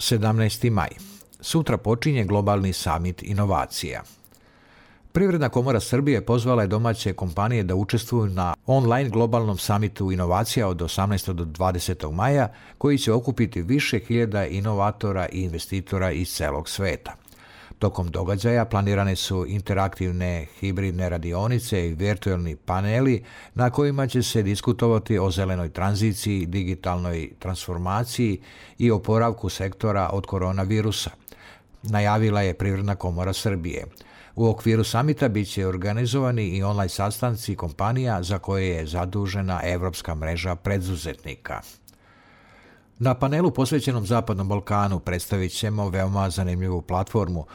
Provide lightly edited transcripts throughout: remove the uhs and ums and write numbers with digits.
17. maj. Sutra počinje globalni samit inovacija. Privredna komora Srbije pozvala je domaće kompanije da učestvuju na online globalnom samitu inovacija od 18. do 20. maja, koji će okupiti više hiljada inovatora i investitora iz celog sveta. Tokom događaja planirane su interaktivne hibridne radionice i virtualni paneli na kojima će se diskutovati o zelenoj tranziciji, digitalnoj transformaciji i oporavku sektora od koronavirusa, najavila je Privredna komora Srbije. U okviru samita biće organizovani i online sastanci kompanija za koje je zadužena Evropska mreža preduzetnika. Na panelu posvećenom Zapadnom Balkanu predstavit ćemo veoma zanimljivu platformu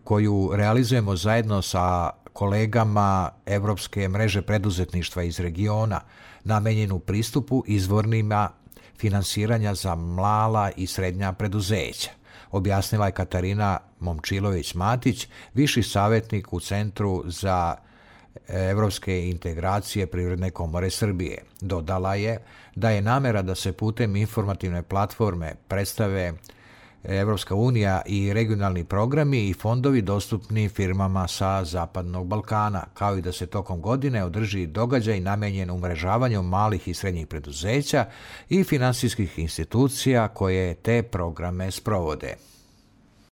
koju realizujemo zajedno sa kolegama Evropske mreže preduzetništva iz regiona, namenjenu pristupu izvornima finansiranja za mala i srednja preduzeća, objasnila je Katarina Momčilović-Matić, viši savjetnik u Centru za evropske integracije Privredne komore Srbije. Dodala je da je namera da se putem informativne platforme predstave Evropska unija i regionalni programi i fondovi dostupni firmama sa Zapadnog Balkana, kao i da se tokom godine održi događaj namenjen umrežavanju malih i srednjih preduzeća i finansijskih institucija koje te programe sprovode.